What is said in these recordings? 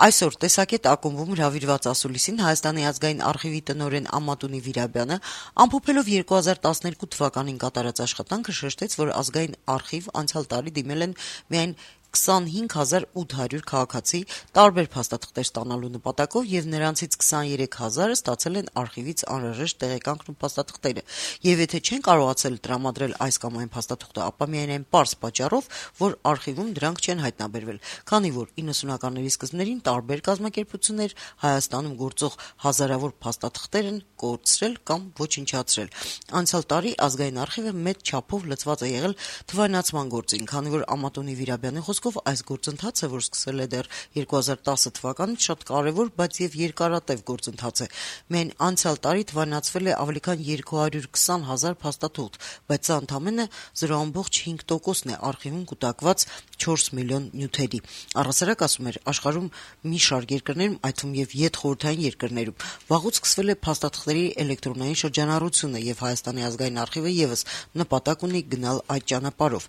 Այսօր տեսակետ ակումբում հրավիրված ասուլիսին Հայաստանի ազգային արխիվի տնօրեն Ամատունի Վիրաբյանը, ամփոփելով 2012 թվականին կատարած աշխատանքը, շեշտեց, որ ազգային արխիվ անցյալ տարի դիմել են միայն 25,800 քաղաքացի տարբեր փաստաթղթեր ստանալու նպատակով եւ նրանցից 23,000-ը ստացել են արխիվից անհրաժեշտ տեղեկանքն ու փաստաթղթերը, եւ եթե չեն կարողացել տրամադրել այս կամ այն փաստաթուղթը, ապա միայն այն պարզ պատճառով, որ արխիվում դրանք չեն հայտնաբերվել, քանի որ 90-ականների սկզբներին տարբեր կազմակերպություններ Հայաստանում գործող հազարավոր փաստաթղթեր են կորցրել կամ ոչնչացրել։ Անցյալ տարի ազգային արխիվը մեծ չափով լծված է եղել թվայնացման գործին, քանի որ Ամատունի Վիրաբյանի այս գործընթացը, որ սկսել է դեռ 2010 թվականից, շատ կարևոր, բայց եւ երկարատև գործընթաց է։ Միայն անցյալ տարի թվայնացվել է ավելի քան 220,000 փաստաթուղթ, բայց սա ընդամենը 0.5%-ն է արխիվում կուտակված 4 միլիոն նյութերի։ Առհասարակ, ասում էր, աշխարհում մի շարք երկրներում, այդ թվում եւ յետխորհրդային երկրներում, վաղուց սկսվել է փաստաթղթերի էլեկտրոնային շրջանառությունը եւ Հայաստանի ազգային արխիվը եւս նպատակ ունի գնալ այդ ճանապարհով։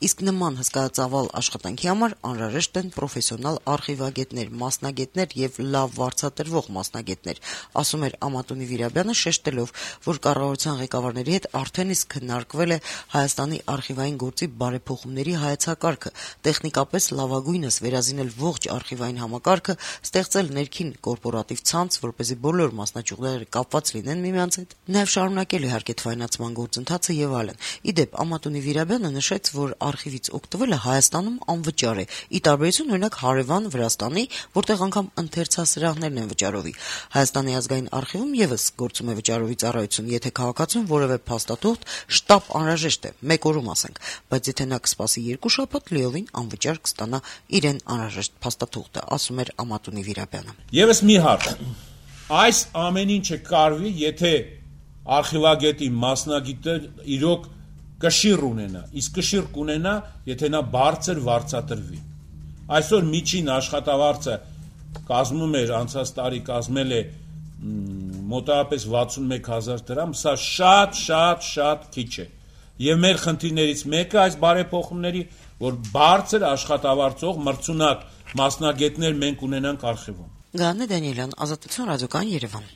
Իսկ նման հսկայածավալ աշխատանքի համար անհրաժեշտ են պրոֆեսիոնալ արխիվագետներ, մասնագետներ եւ լավ վարձատրվող մասնագետներ, ասում էր Ամատունի Վիրաբյանը, շեշտելով, որ կառավարության ղեկավարների հետ արդեն իսկ քննարկվել է Հայաստանի արխիվային գործի բարեփոխումների հայեցակարգը, տեխնիկապես լավագույնս վերազինել ողջ արխիվային համակարգը, ստեղծել ներքին կորպորատիվ ցանց, որպեսզի բոլոր մասնաճյուղերը կապված լինեն միմյանց հետ, նաեւ շարունակել իհարկե թվայնացման գործընթացը եւ այլն։ Իդեպ Ամատունի Վիրաբյանը նշեց, որ արխիվից օգտվելը Հայաստանում անվճար է, ի տարբերություն օրինակ հարևան Վրաստանի, որտեղ անգամ ընթերցասրահներն են վճարովի։ Հայաստանի ազգային արխիվում եւս գործում է վճարովի ծառայություն, եթե քաղաքացուն որևէ փաստաթուղթ շտապ անհրաժեշտ է, մեկ օրում ասենք, բայց եթե նա կսպասի 2 շաբաթ, լիովին անվճար կստանա իրեն անհրաժեշտ փաստաթուղթը, ասում էր Ամատունի Վիրաբյանը։ Եվս մի հարց. այս ամեն ինչը կարվի, եթե արխիվագետի մասնագետը իրոք կշիռ ունենա, իսկ կշիռ կունենա, եթե նա բարձր վարձատրվի։ Այսօր միջին աշխատավարձը կազմում էր, անցած տարի կազմել է մոտավորապես 61,000 դրամ, սա շատ քիչ է։ Եվ մեր խնդիրներից մեկը այս բարեփոխումների, որ բարձր աշխատավարձող մրցունակ մասնագետներ մենք ունենանք արխիվում։ Գանե Դանիելյան, Ազատություն ռադիոկայան, Երևան։